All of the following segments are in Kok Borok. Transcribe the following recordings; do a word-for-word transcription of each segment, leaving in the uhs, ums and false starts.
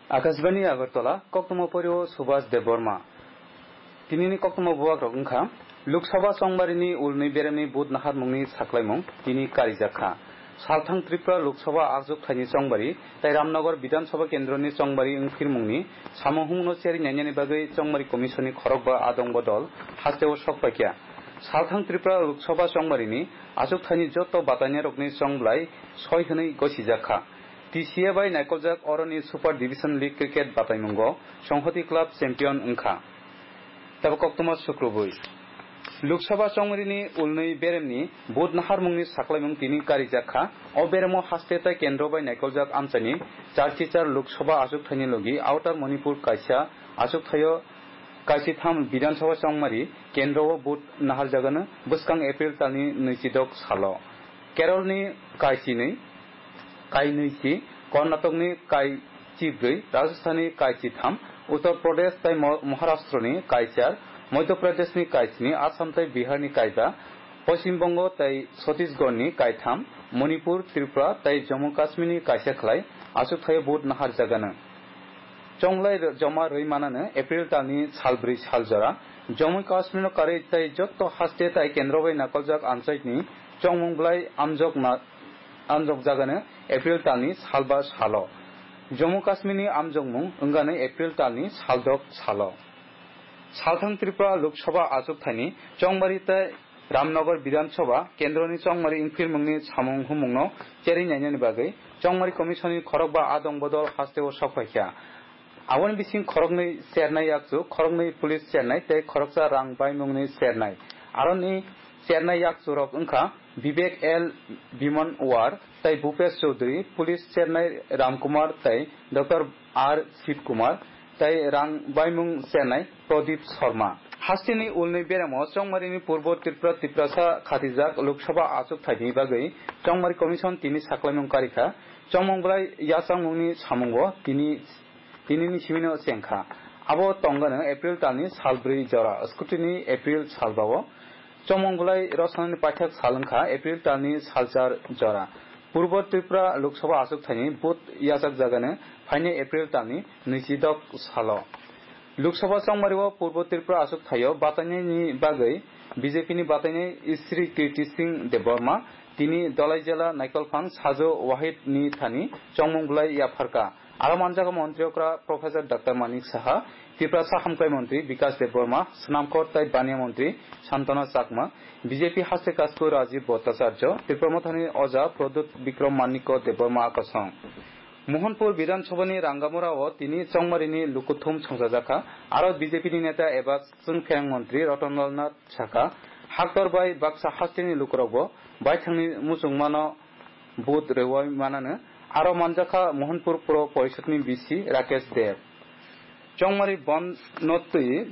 Akashbani Agartala, koktwma porio Subhas Debbarma. Tinini koktwma bubagrok wngkha, Lok Sabha chongmarini ulni beremni vote naharmungni saklaimung tini karijakha. Salthang Tripura Lok Sabha achukthani chongmari tai Ramnagar Bidhan Sabha kendroni chongmari wngphirmungni samung humungno cherwi nainani bagwi chongmari commissionni khorokba adong bodol hasteo sokphaikha. Salthang Tripura Lok Sabha chongmarini achukthani joto batainairokni chongblai soi hwnwi gosijakha. T C A bai naikoljak oroni Super Division League Cricket bataimungo Songhoti Club champion wngkha. Tabuk koktwma sukrubwi. Lok Sabha chongmarini ulnwi beremni vote naharmungni saklaimung tini karijakha. O beremo haste tai kendro bai naikoljak amchaini charchichar Lok Sabha achukthani logi Outer Manipur kaisa achukthaio kaisitham Bidhan Sabha chongmari kendro o vote naharjagano bwskang April talni nwichidok salo. Keralni kaisini kainwi si, Karnatokni kaichibrwi, Rajasthanni kaichitham, Uttar Pradesh tai Mo-, Maharashtrani kaichar, Madhya Pradeshni kaisni, Assam tai Biharni kaiba, Poschim Bongo tai Chhattisgarhni kaitham, Manipur, Tripura tai Jammu Kashmirni kaisa khlai achukthaio vote naharjagano. Chonglai joma rwi manano April talni salbrwi sal jora. Jammu Kashmirno karwi tai jotto haste tai kendro bai nakoljak amchaini chongmung bwlai amjokna amjokjagano April talni salba salo. Jammu Kashmirni amjokmung wngano April talni saldok salo. Salthang Tripura Lok Sabha achukthani chongmari tai Ramnagar Bidhan Sabha kendroni chongmari wngphirmungni samung humungno cherwi nainani bagwi chongmari commissionni khorokba adong bodol hasteo sokphaikha. Aboni bising khoroknwi chernai yakchu, khoroknwi police chernai tei khoroksa rang baimungni chernai. Aroni chernai yakchurok wngkha Vivek L Bhimanwar tei Bhupesh Chaudhary, police chernai Ramkumar tei Doctor R Shiv Kumar tei rang baimung chernai Pradip Sharma. Hasteni ulni beremo chongmarini Purbo Tripura Tiprasa khatijak Lok Sabha achuk thaini bagwi chongmari commission tini saklaimung karikha. Chongmung bwlai yachangmungni samungo tini Tinini simino chengkha. Abo tongano April talni salbrwi jora, scrutiny April salbao. Chongmung bwlai rosonani paithak sal wngkha April talni salchar jora. Purbo Tripura Lok Sabha achuk thaini vote yachak jagano phainai April talni nwichidok salo. Lok Sabha chongmario Purbo Tripura achuk thaio batainaini bagwi B J P ni batainai Shri Kirti Singh Debbarma tini Dolai Jela Naikolphang Sajo Wahid ni thani chongmung bwlai yapharkha. Aro manjago montri okra Professor Doctor Manik Saha, Tiprasa hamkrai montri Bikas Debbarma, Snamkhor tai Baniya montri Santana Chakma, B J P haste kasku Rajiv Bhattacharya, Tipra Mothani oja Pradyut Bikram Manikya Debbarma akosong. Mohanpur Bidhan Sabhani Rangamura o tini chongmarini lukuthum songchajakha, aro B J P ni neta eba chwngpherang montri Ratan Lal Nath sakha, haktor bai baksa hasteni lukurokbo baithangni muchungmano vote rwui manano, aro manjakha Mohanpur Puro Porishodni B C Rakesh Deb. Chongmari bon no twi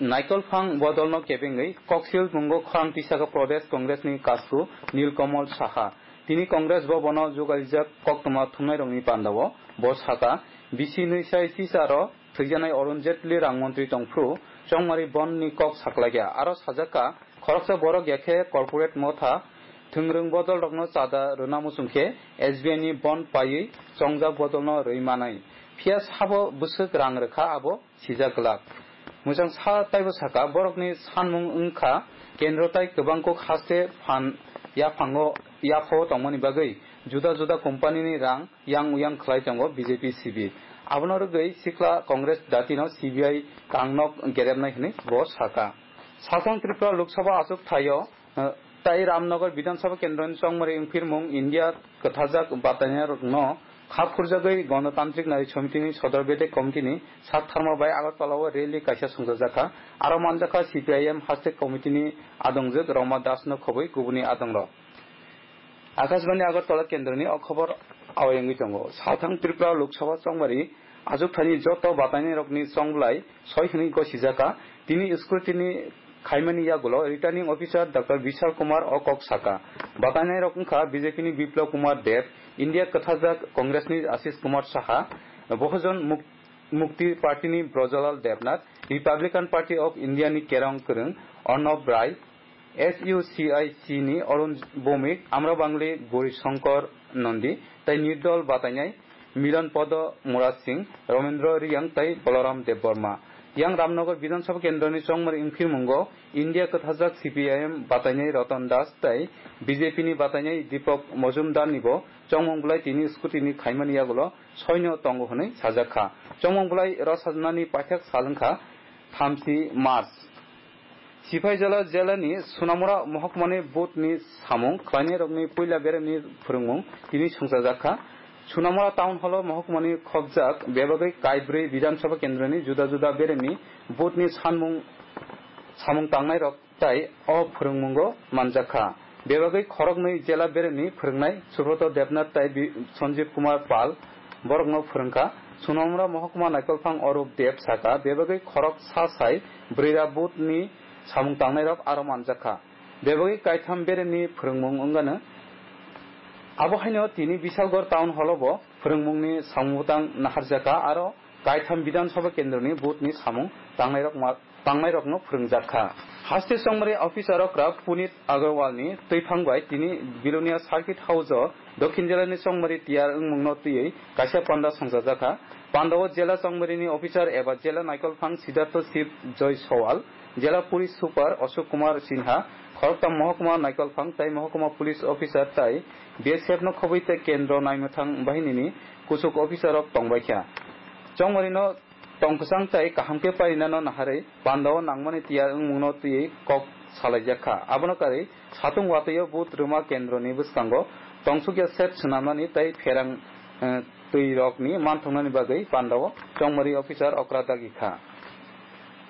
Naikolphang bodolno kebengwi koksil mungo khorang tisaka Pradesh Congressni kasku Nilkamal Saha. Tini Congress bo bono jugaijak koktwma thumnairokni pandao bo saka, B C nwi sai tisaro thwijanai Arun Jaitley rang montri tongphru chongmari bonni kok saklaikha. Aro sajakha, khoroksa borok yakhe corporate motha thwngrwng bodolrokno chada rwna muchungkhe S B I ni bond paiwi chongjak bodolno rwi manai. Phiya sabo bwswk rang rwkha abo sijak glak. Mwchang sa taibo saka, borokni sanmung wngkha kendro tai kwbang kok haste phan yaphango yaphao tongmani bagwi juda juda company ni rang yang uyang khlai tongo B J P sibi. Abono rwgwi sikla Congress datino C B I kangnok gerepnai hwnwi bo saka. Salthang Tripura Lok Sabha achuk thaio, eh, tai Ramnagar Bidhan Sabha kendroni chongmari wngphirmung India kwthajak batainairokno kha phurjagwi Ganatantrik Nari Somitini Sodor Bedek Committee ni sak tharma bai Agartala o rally kaisa songchajakha. Aro manjakha C P I M haste committee ni adongjwk Roma Das no khobwi kubuni adongrok. Akashbani Agartala kendroni o khobor awai wngwi tongo. Salthang Tripura Lok Sabha chongmari achukthani joto batainairokni chongblai soi hwnwi gosijakha. Tini scrutiny khaimani yagulo Returning Officer Doctor Bishal Kumar o kok saka. Batainairok wngkha B J P ni Biplab Kumar Deb, India kwthajak Congress ni Ashish Kumar Saha, Bahujan Muk-, Mukti Party ni Brajalal Debnath, Republican Party of India ni Kerong Kwrwng Arnab Rai, S U C I C ni Arun Bhowmik, Amra Bangli Gauri Shankar Nandi, tai nirdol batainai Milan Podo Murad Singh, Ramendra Riyang tei Balaram Debbarma. Yang Ramnagar Bidhan Sabha Kendroni chongmari wngphirmungo India kwthajak C P I M batainai Ratan Das tei B J P ni batainai Deepak Majumdar nibo chongmung bwlai tini scrutiny khaimani yagulo soino tongo hwnwi sajak kha. Chongmung bwlai rw sajnani paithak sal wngkha thamchi March. Sipaijala jela ni Sunamura mohokmani booth ni samung khlainairokni puila beremni phwrwngmung tini songchajak kha. Sunamura town hall o mohokmani khobjak bebagwi kaibrwi Bidhan Sabha kendroni juda juda beremni booth ni sanmung samung tangnairok tai o phwrwngmungo manjak kha. Bebagwi khoroknwi jela beremni phwrwngnai Subroto Debnath tai Bi-, Sanjeev Kumar Pal borokno phwrwngkha. Sunamura mohokma naikolphang Orup Deb saka bebagwi khorok sa sai bwrwira booth ni samung tangnairok aro manjak kha. Bebagwi kaitham beremni phwrwngmung wngano. Abo haino tini Bisalgor town hall o bo phwrwngmungni samung bwtang naharjak kha aro kaitham Bidhan Sabha kendroni booth ni samung tangnairok ma-, tangnairokno phwrwngjak kha. Haste chongmari officer okra Punit Agarwal ni twiphang bai tini Bilonia Circuit House o Dokhin jela ni chongmari tiyar wngmungno twiwi kaisa panda songchajak kha. Panda o jela chongmari ni officer eba jela naikolphang Siddhartha Shiv Joy Sowal, jela police super Ashok Kumar Sinha, khoroktham mohokma naikolphang tai mohokma police officer tai B S F no khobwi tei kendro naimwthang bahinini kuchuk officer rok tongbaikha. Chongmari no tongkwchang tai kaham khe parinano naharwi pandao nangmani tiyar wngmungno twiwi kok salaijak kha. Abono karwi satung watwi o booth rwma kendroni bwskango tongsukya set swnamnani tei pherang, eh, twi rokni manthoknani bagwi pandao chongmari officer okra dagi kha.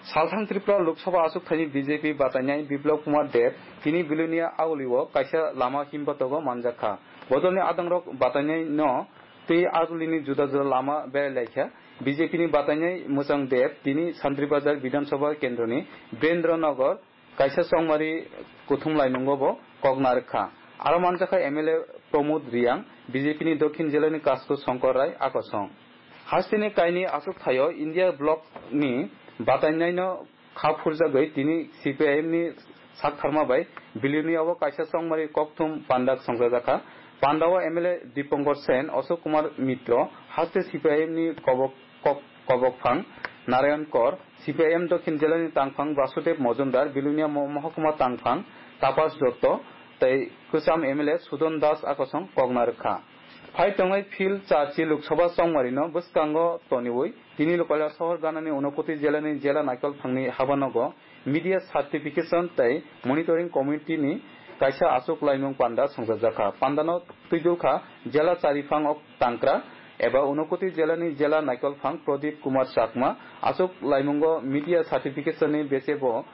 Salthang Tripura Lok Sabha achukthani B J P batainai Biplab Kumar Deb tini Bilonia Auli o kaisa lama himbotogo manjak kha. Bodolni adongrok batainai no tei Auli ni juda juda lama berai laikha. B J P ni batainai Mwchang Deb tini Santri Bazar Bidhan Sabha kendroni Birendra Nagar kaisa chongmari kuthum laimungo bo kok narwk kha. Aro manjakha M L A Pramod Riyang, B J P ni Dokhin jela ni Kasku Shankar Rai akosong. Hasteni kaini achuk thaio India block ni batainaino kha phurjagwi tini C P I M ni saktharma bai Bilonia o kaisa chongmari kokthum pandak songchajakha. Pandao M L A Dipankar Sen, Ashok Kumar Mitro, haste C P I M ni kobok, kok-, kobok phang Narayan Kor, C P I M Dokhin jela ni tangphang Basudev Mojumdar, Bilonia mo-, mohokuma tangphang Tapas Dotto tei kwcham M L A Sudon Das akosong kok narwk kha. Phai tongnai Phil Charchi Lok Sabha chongmari no bwskango toniwi tini Kailashahar ganani Unakoti jela ni jela naikolphang ni habanogo media certification tei monitoring committee ni kaisa achuk laimung panda songchajakha. Pandano twidulkha jela chariphang o tangkra eba Unakoti jela ni jela naikolphang Pradip Kumar Chakma. Achuk laimungo media certification ni bese bo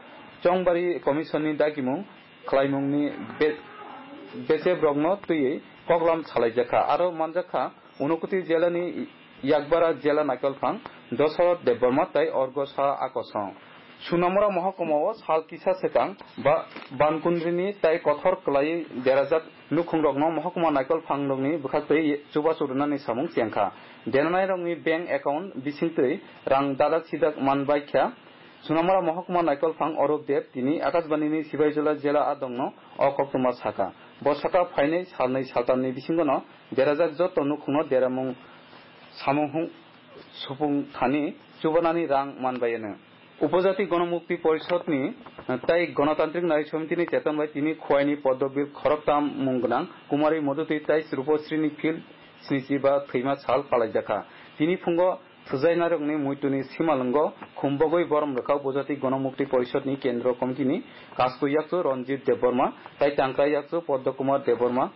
chongbari commission ni dagimung khlaimungni be-, besebrokno twiwi koklam salaijakha. Aro manjakha Unakoti jela ni Yakbara jela naikolphang Dosarot Debbarma tei Orgo Sa akosong. Sunamura mohokuma o sal kisa swkang ba-, Bankundrini tei kothor kwlaiwi derajak nukhungrokno mohokuma naikolphangrokni bwkhaktwi chubachu rwnani samung chengkha. Deranairokni bank account bisingtwi rang dadak sidak manbaikha. Sunamura mohokuma naikolphang Orup Deb tini Akashbani ni Sibaijala jela adongno o koktwma sakha. Bo sakha phainai salnwi saltamni bisingono derajak joto nukhungno deramung samung hung supung thani chubanani rang manbayano. Upojati Gonomukti Porishod ni tei Gonotantrik Nari Somiti ni cheton bai tini Khowai ni Poddobir khoroktham mung gwnang Kumari Modhuti tei Rupasri ni Phil snichi ba thwima sal palaijakha. Tini phungo thwjainairokni muituni simalwngo khumbogwi borom rwkha Upojati Gonomukti Porishod ni Kendro Committee ni Kasku Yakchu Ranjit Debbarma tei Tangka Yakchu Padma Kumar Debbarma.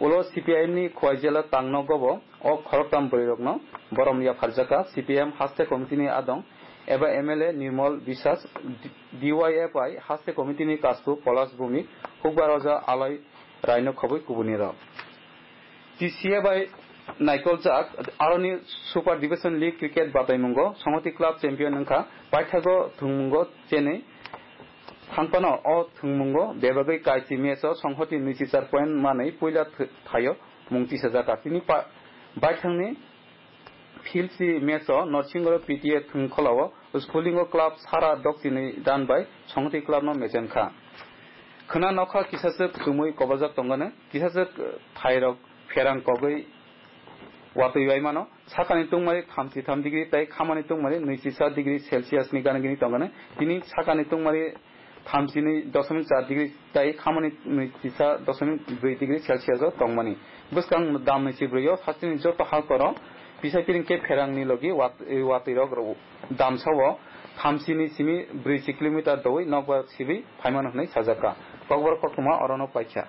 Ulo C P I M ni Khowai jela tangno gobo o khoroktham bwrwirokno borom yapharjakha. C P I M haste committee ni adong eba M L A Nirmal Biswas, D Y F I haste committee ni Kasku Polash Bhumik, Hukbar Oja Alai Raino khobwi kubunirok. T C A bai naikoljak aroni Super Division League Cricket bataimungo Songhoti Club champion wngkha, paithago thwngmungo chenwi thangphano o thwngmungo bebagwi kaisi match o Songhoti nwichi char point manwi puila th-, thaio mung tisajakha. Tini pa-, baithangni Philsi match o Norsingoro P T A thwngkhwlao Spulingo club sara dokchini dan bai Songhoti club no mechenkha. Khwna nokha kisachwk chumui kobojak tongkha, kisachwk thairok pherang kogwi Watwi bai mano, sakani tungmari thamchi tham degree tei khamani tungmari nwichi sa degree Celsius ni gana gini tongani. Tini sakani tungmari thamchi ni dosomik char degree tei khamani nwichi sa dosomik brwi degree Celsius o tongmani. Bwskang dam nwichi brwi o hasteni joto halkoro pisai piring khe pherang ni logi wat-, watwi rok rw-, damsa o thamchi ni simi brwichi kilometer dowi nokbar sibwi phaimano hwnwi sajak kha. Kokborok koktwma orono paikha.